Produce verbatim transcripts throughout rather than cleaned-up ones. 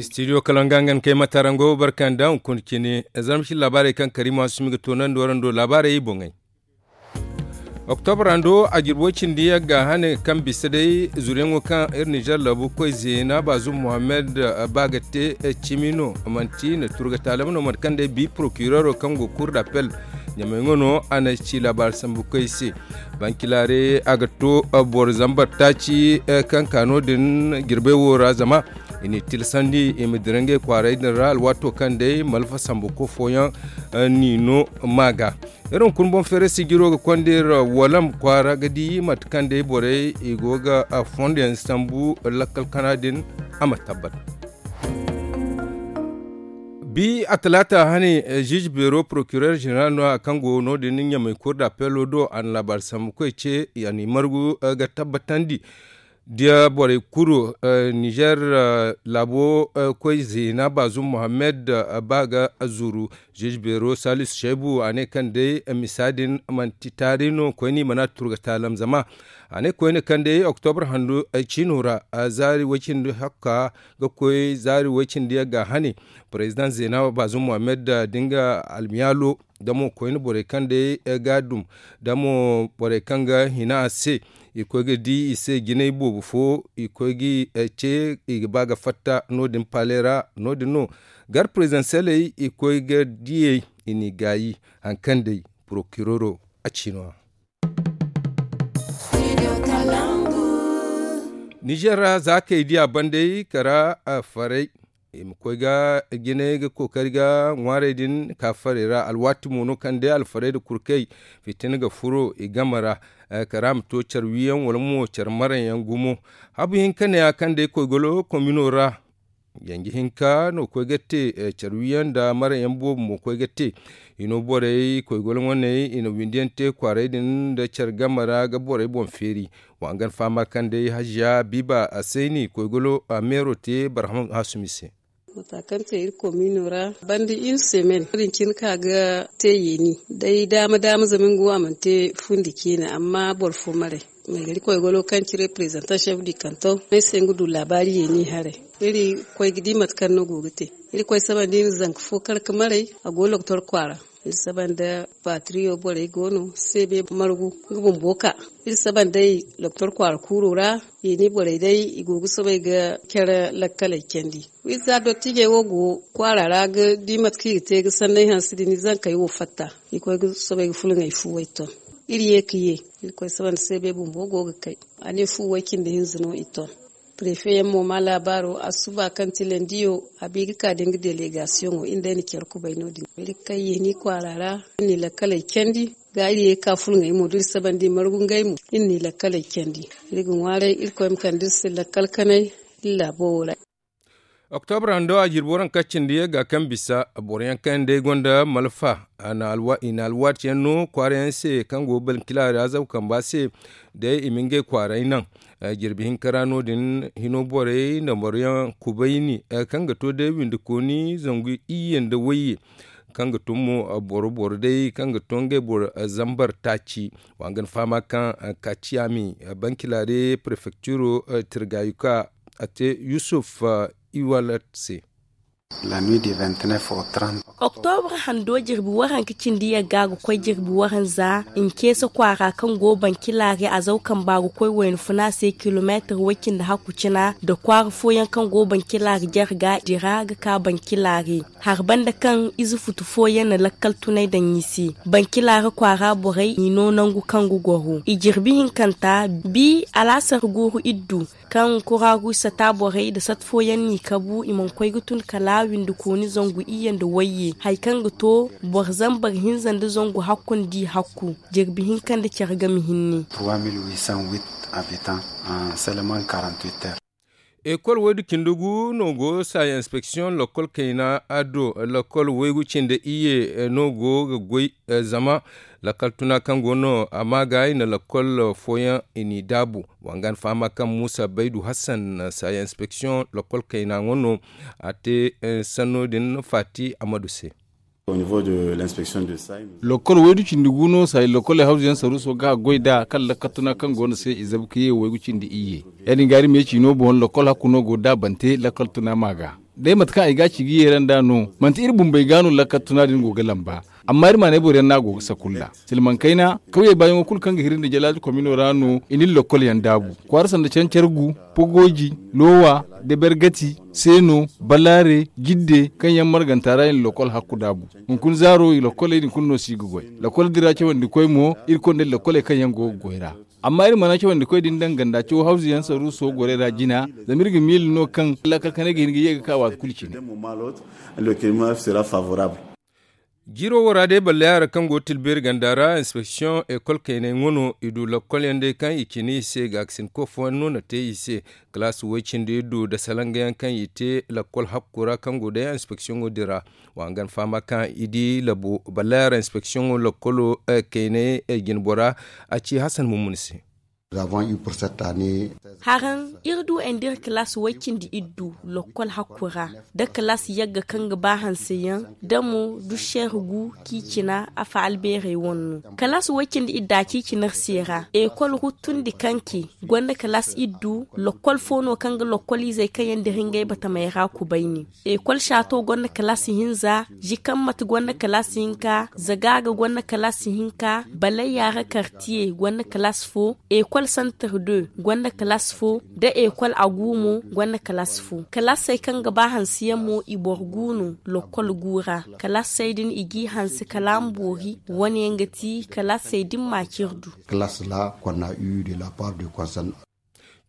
Studio kalanga ngan kay matarango barkanda hunkuna cine. Zarma cine laabaarey kaŋ kariima sumi ga toonandi warando laabaarey boŋey. Oktobra ndo a jirbo cindi yagga hane kaŋ bisa day zuriyaŋo kaŋ iri nizer laabu koy zeena baazum muhammad ba ga te cimi no manti na turga taalam no mate kaŋ day bi prokirero kaŋ go kur d'appel ɲamay ŋo no a na ci laabaari sambu koy se. Bankilaare a ga to boro zambar taaci kaŋ ka no- din jirbey wo ra zama i n'i tilasandi i ma dira ngey kwaaray din ra alwaato kaŋ day malfa sambu ko fooyaŋ n'i no ma ga. Iri hunkuna boŋ feeray sijiro ga konda iri walam kwaara ga di mate kaŋ day borey i go ga fondo yaŋ sambu lakkal kana din a ma tabbat. Bi a talaata hane, jij beero prokiror zeneral no- ya kaŋ go no- din ɲamay kur d'appelo do a na laabaari sambu koy ce a n'i margu ga tabbatandi. Da borey kuru nizer laabo koy zeena baazum muhammad ba ga zuru. Jij beero salisu shaybu a ne kaŋ day misa din manti taari no koyne i mana turga taalam zama a ne koyne kaŋ day oktobra handu ciino ra zaari way cindi hakka ga koy zaari way cindi yagga hane. President zeena baazum muhammad da nga almiyaalo da mo koyne borey kaŋ day ga dum da mo borey kaŋ ga hina a se. I koy ga di i se jinay boobo fo i koy ga ce i ga ba ga fatta no- din paale ra no- din no gar prezidanseley i koy ga diyey i n'i gaayi. Hari kaŋ day prokiroro a ci no- ya. Nizer ra za kay diya banday kara faray i ma koy ga jinay ga kookari ga ŋwaarey din ka farey ra alwaati mo no kaŋ day alfarey nda kurkey fitina ga furo i game ra. Kara ma to care wiyaŋ wala mo care maray yaŋ gumo. Habu hinka ne- ya kaŋ day koy golo komino ra yanji hinka no koy ga te. Care wiyaŋ nda maray yaŋ boobo mo koy ga te. I no borey koy golo ŋwaney i na windi yaŋ te kwaaray din nda care game ra ga borey boŋ feeri. Wa nga ni fahama kaŋ day haziya biiba a sayni koy golo a meero te barham hasumi se. Mata kaŋ te iri komino ra banda iri semen wo- din cine ka ga te yeeni day daama daama zama nga wo a mana te fundi ciine amma boro fo maray. Maygari koy golo kaŋ ci reprezantan chef du kanton ay se nga du laabaari yeeni haray. Iri koy ga di mate kaŋ no go ga te. Iri koy saba nda iri zanka fo kar ga maray a go loktor kwaara. Iri saba nda patriyo borey go no se be margu nga bumbo ka. Iri saba nda ay loktor kwaara kuuro ra. Yeeni borey day i go ga soobay ga care lakkaley candi. Iri za dottijey wo go kwaara ra ga di mate kaŋ i ga te ga sanney hanse din i zankey wo fatta. I koy ga soobay ga fulŋey fuwey ton. Iri ye ga ye iri koy saba nda se be bumbo go ga kay. A ne fu way cindi hinza no i ton. Prefe yaŋ mo ma laabaaro a suba kaŋ ti landiyo. A bi ga ka da nga delegasiyoŋo iri nda ay na care kubay no- din iri ga kay yeeni kwaara ra. Iri n'i lakkaley candi ga iri ye ga ka fulŋey mo da iri sabandi margu ngey mo iri n'i lakkaley candi. Iri ga ŋwaaray iri koy ma kande iri se lakkal kanay iri laabo wo ra. Oktobra hando a jirbi waranka cindi yagga kaŋ bisa boro yaŋ kaŋ day gonda malfa i na alwaati yaŋ no kwaara yaŋ se kaŋ go bankila ra zabu kamba se. Day i ma ngey kwaaray naŋ jirbi hinka ra no- din hino borey nda boro yaŋ kubayni kaŋ ga to day windi kooni zangu iyye nda wayye kaŋ ga tun mo boro boro day kaŋ ga to ngey boro zambar taaci. Wa nga ni fahama kaŋ kaciyami bankila day prefecturo tirgayuka a te yusuf iwalat se. Oktobra hando jirbi waranka cindi yagga ga koy jirbi waranza nceese kwaara kaŋ go bankila ga a zaw kamba ga koy wayna funa se kilomeetir way cindi hakku cina nda kwaara fooyaŋ kaŋ go bankila ga jare ga dira ga ka bankila ga. Hari banda kaŋ ize futu fooyaŋ na lakkal tunay daŋ i se. Bankila ga kwaara borey n'i no nangu kaŋ ga goro i jirbi hinkanta bi alaasar guuru iddu. Kaŋ kuragu sata borey nda sat fooyaŋ n'i kabu i mana koy ga tun kala windi kooni zangu iyye nda wayye hari kaŋ ga to boro zambar hinza nda zangu hakku nda i hakku. Jirbi hinka nda care game hinne. Ekol waydu cindi gu no go saya inspeksiyoŋ lakkol kayna do lakkol waygu cindi iyye no go ga goy. Zama lakkal tuna kaŋ go no a ma ga i na lakkol fooyaŋ i n'i daabu. Wa nga ni fahama kaŋ muusa baydu hassan saya inspeksiyoŋ lakkol kayna ŋo no a te sanno din faati amadu se. Lakkol waydu cindi gu no saya lakkol ay hawzu yaŋ saruuso ga goy nd'a kaŋ lakkal tuna kaŋ go no se i zabu ka ye waygu cindi iyye. Ya- din ga iri ma ye ciino boŋ lakkol hakku no go daabante lakkal tuna ma ga. Day mate kaŋ ay ga a ci ga yeera nd'a no, manti iri bumbey ga no lakkal tuna din go ga lamba. Amma iri maanay boro yaŋ no a go ga sakulla. Silmaŋ kayna kawyey baayaŋo kulu kaŋ ga hiri nda jalaaji komino ra no i na iri lokkol yaŋ daabu. Kwaara sanda cancargu, pogooji, loowa, debergati, seeno, balaare, jidde kaŋ yaŋ marganta ra i na lokkol hakku daabu. Hunkuna zaaro i lokkoley din kulu no si ga goy. Lokkol din ra cawandikoy mo iri konda iri lokkoley kaŋ yaŋ go ga goy ra. Amma iri mana cawandikoy din daŋ ganda caw hawzu yaŋ saruuso gorey ra jina, zama iri ga miila no kaŋ lakkal kanay ga hin ga ye ga ka waati kulu cine. Jiiro wo ra day balle yaara kaŋ go ga tilbeeri ganda ra inspeksiyoŋ ekol kaynay ŋwa no i du lakkol yaŋ day kaŋ i cine i se ga ga sinko fooyaŋ no na te i se. Kalaasi way-cindi iddu nda salanga yaŋ kaŋ i te lakkol hakku ra kaŋ go day inspeksiyoŋo din ra. Wa hangan fahama kaŋ i di labo balle yaara inspeksiyoŋo lakkolo kaynay jinbora a ci hasan mummuni se. Haraŋ iri du ay nda iri kalaasi way-cindi iddu lokkol hakku ra, da kalaasi yagga kaŋ ga ba hanse yaŋ, da mo du seer gu kaŋ i cina afa albeerey wane no. Kalaasi way-cindi idda kaŋ i cina iri se ra ekol ruttundi kaŋ ke gonda kalaasi iddu. Lokkol fo no kaŋ ga lokkol izey kaŋ yaŋ dira ngey batamey ra kubayni. Ekol saato gonda kalaasi hinza, zikammati gonda kalaasi hinka, zagaaga gonda kalaasi hinka, balayya ra kartiye gonda kalaasi fo, ekol santar de gonda kalaasi fo, da ekol agu mo gonda kalaasi fo. Kalaasey kaŋ ga ba hanse yaŋ mo i boro gu no lokkol gu ra. Kalaasey din i g'i hanse kala a ma boori. Wane yaŋ ga ti kalaasey din ma cire du. Kalaasi ra konna u de la part de konsan.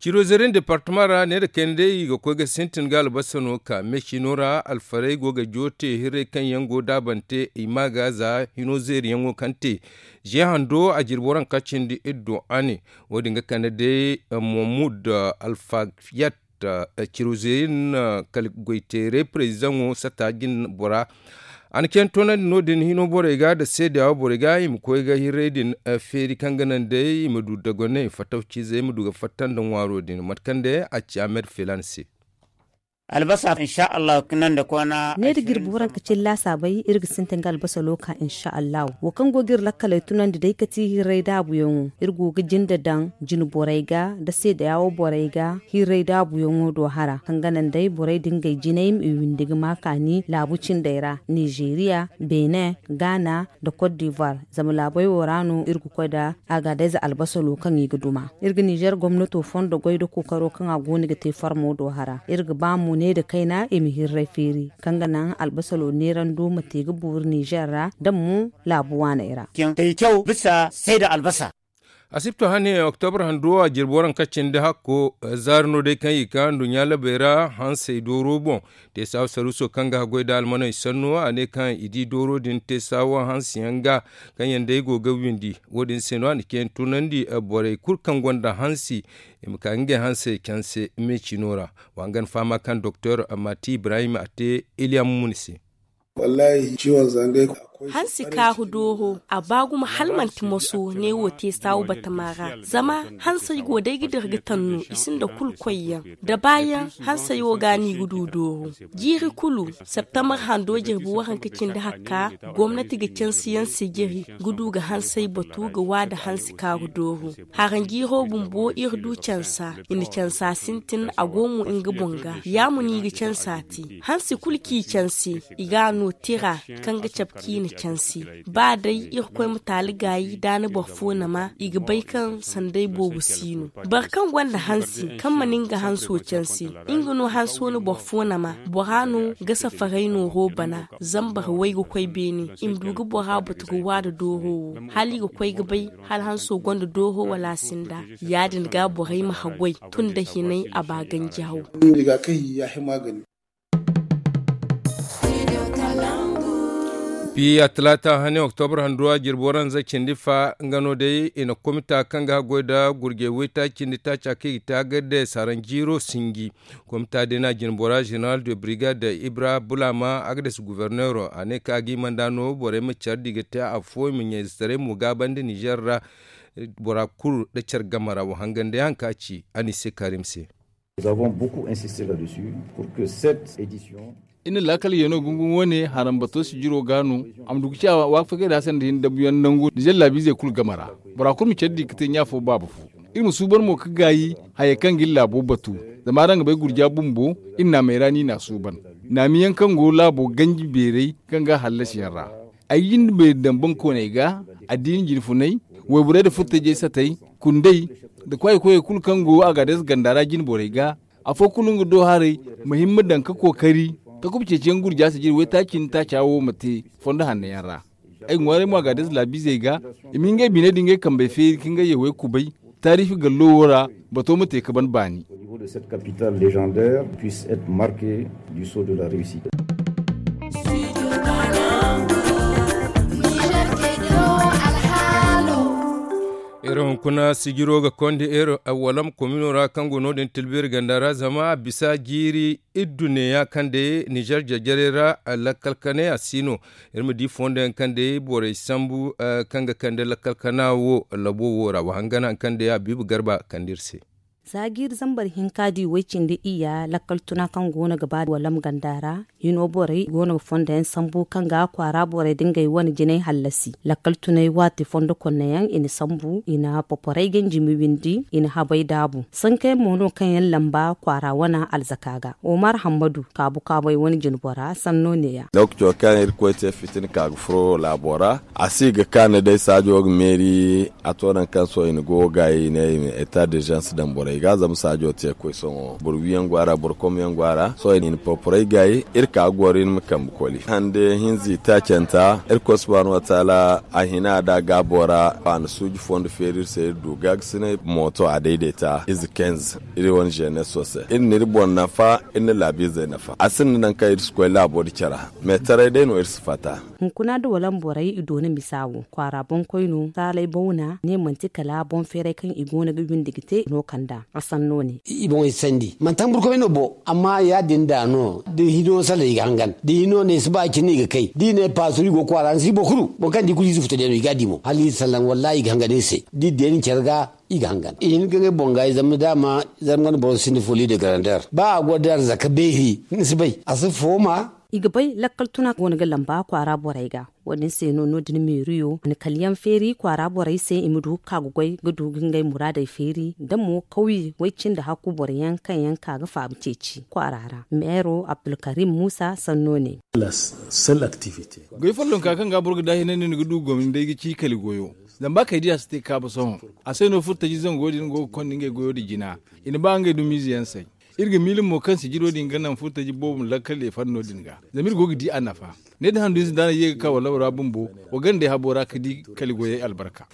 Ciro zeerin departama ra ne nda kayna day i ga koy ga sintin ga albasa no ka me cino ra alfarey go ga joote hirrey kaŋ yaŋ go daabante i ma ga za hino zeeri yaŋo kaŋ te. Ze hando a jirbo ranka cindi iddo a ne. Wo- din ga kande day, eh, mohamud, eh, alfayat, eh, ciro zeerin, eh, kala goyteeray prezidaŋo sata jin bora. A na caŋ toonandi no- din hino borey ga nda seedeyawo borey ga i ma koy ga hirrey din, eh, feeri kaŋ ga naŋ day i ma du dagoney fatawcizey ma du ga fatta nda ŋwaaro din mate kaŋ day a ci ahmed filan se. Albasa insha allahu kaŋ naŋ da koona. Ne da jirbi waranka cilla saabay iri ga sintin ga albasa looka insha allahu. Wo kaŋ go ga iri lakkaley tunandi day ga ti hirray daabuyaŋo iri go ga jinde daŋ jine borey ga nda seedeyawo borey ga. Hirray daabuyaŋo do hara kaŋ ga naŋ day borey da ngey jinay ma i windi ga ma kaani laabu cindey ra, nizeeriya, benin, gaana, nda kot divoire. Zama laabey wo ra no iri ga koy nda agadez albasalo kaŋ i ga duma. Iri ga nizer gomnato fondo goy nda kookaro kaŋ a go no ga te farmo do hara iri ga ba mo ne nda kayna i ma hirray feeri kaŋ ga naŋ albasalo neerando ma te ga boori nizer ra nda mo laabu waaney ra. Asibto hane oktobar hando a jirbi waranka cindi hakko zaari no day kaŋ i ga ka nduɲɲa labey ra hansey dooro boŋ. Te saawa saruuso kaŋ ga haggoy nda almaney sanno a ne kaŋ i di dooro din te saawa hansi yaŋ ga kaŋ yaŋ day go ga windi. Wo- din se no a na ceeyaŋ tunandi borey kulu kaŋ gonda hansi i ma ka ngey hansey canse me cino ra. Wa hangan fahama kaŋ doktor mati ibrahim a te iliya mumuni se. Hansi kaaru dooro a ba gumo hala manti moso ne wo te saawu batama ra. Zama hansey go day ga dira ga tanno i sinda kulu koyyaŋ da baayaŋ. Hansey wo ga no i ga du dooro jiiri kulu. Septembar hando jirbi waranka cindi hakka gomnati ga cansiyaŋ sijiri ga du ga hansey batu ga wa nda hansi kaaru dooro. Haranjiiro bumbo iri du cansa i na cansa sintin a go mo nga boŋ ga ya mo no i ga cansa te. Hansi kulu kaŋ i canse i ga a no tira kaŋ ga cabe kaŋ i na canse. Ba day irkoy ma taali gaayi da a na boro fo nama i ga bay kaŋ sanday boobo si no. Boro kaŋ gonda hansi kaŋ mana nga hanso canse nga no hanso na boro fo nama bora no ga safaray nooro bana. Zambar way ga koy beene i ma du ga bora batu ga wa nda dooro wo hala i ga koy ga bay hala hanso gonda dooro wala a sinda. Ya- din ga borey ma haggoy tun nda hinay a ba ganji haw. Piya talaata hane oktobar handuwa jirbi waranza cindi fa nga no day i na komita kaŋ ga haggoy nda gurjey waytaaci cindi taaca kaŋ i ga te a ga day saranjiiro sinji. Komita day no a jinbora zeneral de brigade ibra bulama a ga day si guverneero a ne kaŋ a ga i manda no borey ma care di ga te afo i ma ɲayzetaray mo gaabandi nizer ra. Bora kulu nda care game ra wa hangan day haŋ kaŋ a ci a n'i se karim se. Iri na laakal yeeno gungun wane harambato sijiro ga no. A ma du ga ci a waafakay da hassan da hin dabuyaŋ nangu nizer laabiizey kulu game ra. Bora kulu ma care di ga te ɲaafo baaba fo. Iri ma suuban mo ga gaayi hayey kaŋ ga iri laabo batu. Zama araŋ ga bay gurja bumbo iri naamey ra no i n'a suuban. Naamiyaŋ kaŋ go laabo ganji beeray kaŋ ga hallasiyaŋ ra, ay ga jinde beeri daŋ bankooney ga, addiina jinfunay, wayborey nda furtajey satey, kundey, nda kwaayi koyey kulu kaŋ go agaades ganda ra jine borey ga. Afo kulu nga do haray, ma himma daŋ ka kookari ka kuba ceeciyaŋ gurja sijiri waytaaci nda taaca wo ma te fondo hanno yaŋ ra. Ay ga ŋwaaray mo agaades laabiizey ga, i ma hin ngey biney nda ngey kambey feeri ka ngey yawey kubay, taariifi gallo wo ra, bato ma te ka ban baani. Au niveau de cette capitale légendaire puisse être marqué du sceau de la réussite. Iri hunkuna sijiro ga konda iri walam komino ra kaŋ go no- din tilbiri ganda ra zama a bisa jiiri iddu neeya kaŋ day nizer jarjarey ra. Lakkal kanay a si no. Iri ma di fondo yaŋ kaŋ day borey sambu kaŋ ga kande lakkal kana wo labo wo ra wa hangan hari kaŋ day a biibi garba kande iri se. Za jiiri zambar hinka di way cindi iyya lakkal tuna kaŋ go no ga ba walam ganda ra. Hino borey go no ga fondo yaŋ sambu kaŋ ga kwaara borey da ngey wane jinay hallasi lakkal tunay waati fondo konne yaŋ i na sambu i na poporey ganji ma windi i na habay daabu. Sanka yaŋ mo no kaŋ yaŋ lamba kwaara wane alzaka ga. Omar hammadu kaabu kaabay wane jinbora sanno neeya. Lookaco kaŋ irkoy te fitina ka ga furo laabo ra, a si ga kaanu day saajo ga meeri. A to nangu kaŋ sohõ i na go ga i ne i ma eta dirzans daŋ borey ga zama saajo te koy sohõ boro wiyaŋ go a ra boro komyaŋ go a ra sohõ i na poporey gaay. Iri ka ga goro iri ma kambe koli hande hinza i taacanta. Irkoy subhaanahu wataala a hina da gaabo ra a na suuji fondo feeri iri se iri du gaagasinay mooto a dayday ta ize kenz. Iri wane zeneso se iri na iri boŋ nafa iri na laabiizey nafa a sinda nangu kaŋ iri si koy laabo da care. Meetaray day no iri si fatta. Hunkuna da walam borey i doona misa wo kwaara boŋkoyno saalay bawna ne manti kala boŋ feeray kaŋ i go no ga windi ga te no kand'a a sanno ne. I boŋey sandi manti hamburkomey no bo amma ya- din da no da hino sallah i ga hangan da hino ne si ba cine i ga kay da i ne paasuru i go kwaara ni si boro kulu boŋ kaŋ da i kulu ize futa day no i ga a di mo hala i sallaŋ wallaahi i ga hangan iri se da i deeni care ga. I ga hangan i hin ga ngey boŋ ga i zama daama zarma wane boro sinda foli de garandeer ba a go da arzaka beeri ni si bay a si fooma. I ga bay lakkal tuna go no ga lamba kwaara borey ga. Wo- din se no no- din meeriyo a na kala yaŋ feeri kwaara borey se i ma du ga ka ga goy ga du ga ngey muraadey feeri da mo kawye way cindi hakku boro yaŋ kaŋ yaŋ ka ga faabu ceeci kwaara ra. Meero abdulkarim muusa sanno ne. Goy follonka kaŋ ga boro ga daahinandi ni ga du gomni day ga ci kali goyo. Zama ba kay di a si te ga kaabu sohõ a se no furo taji zango din go ga konda ngey goyo din jina. I na ba ngey dumiize yaŋ say. Iri ga miila mo kaŋ sijiro din ga naŋ furo taji boobo ma lakkal i fanno din ga zama iri go ga di a nafa. Ne da handu ize da a na ye ga ka wala bora bumbo wa gandey habo ra ga di kali goyey albarka.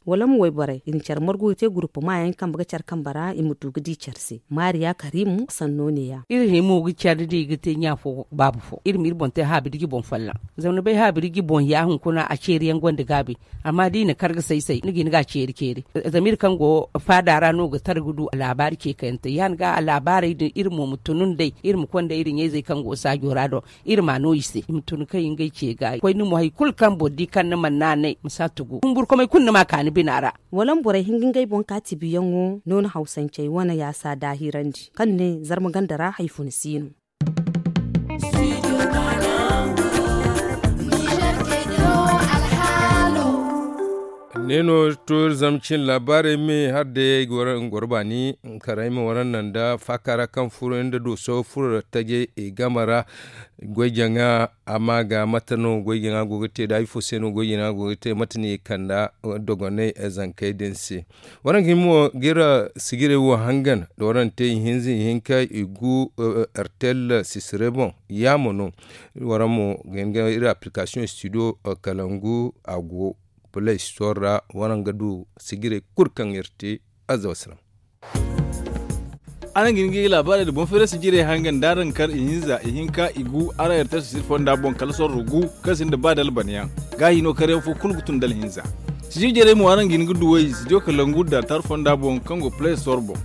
Wala ma wayborey i na care margu ga te gurupama yaŋ kambe ga care kambe ra i ma du ga di care se. Maariya karimu sanno neeya. Iri himo ga care da i ga te ɲa fo baaba fo iri ma iri boŋ te haabirji boŋ folloŋ. Zama ni bay haabirji boŋ ya hunkuna a ceeri yaŋ gonda gaabi. Amma da i na kar ga say say ni ga hin ga a ceeri ceeri. Zama iri kaŋ go faada ra no ga tara ga du laabaari ce kayante ya- din ga a laabaarey din iri mo ma tunu nd'ey iri ma konda iri ɲayzey kaŋ go saajo ra do. Iri ma no i se i ma tun kaŋ i ngey ce ga koy ni mo hari kulu kaŋ boro di kaŋ ni mana naanay ma si a tugu humburkomey kulu ni ma a ka ni bina ra. Wala ma borey hin ga ngey boŋ ka tibiyaŋo no ni hawsancey wane yaasa daahirandi kaŋ ne zarma ganda ra hari funa si no. Ne no to iri zama cin laabaarey me hari day ay ga waraŋ goro baani karay ma waraŋ naŋ da faaka ra kaŋ furo nda dooso furo tajey i game ra. Goy jaŋa a ma ga mate no goy jaŋa go ga te da ifo se no goy jaŋa go ga te mate no i kanda dogonay zankey din se. Waraŋ ga hima ga iri sijirey wo hangan da waraŋ te ihinza ihinka igu rtl sisire boŋ. Yaamo no waraŋ mo ga hin ga iri application studio kalangu a go play store ra waraŋ ga du sijirey kulu kaŋ iri te. Aza wasalaŋ. Araŋ ga hin ga i laabaarey nda boŋ feeray sijirey hangan da araŋ kar ihinza ihinka igu araŋ rtl sisire fonda boŋ kala sorro gu kaŋ sinda ba dalbaniyaŋ. Gaahi no karyaŋ fo kulu ga tun dalhinza. Sijir jarey mo araŋ ga hin ga duw'ey studio kalangu da rtl fonda boŋ kaŋ go play store boŋ.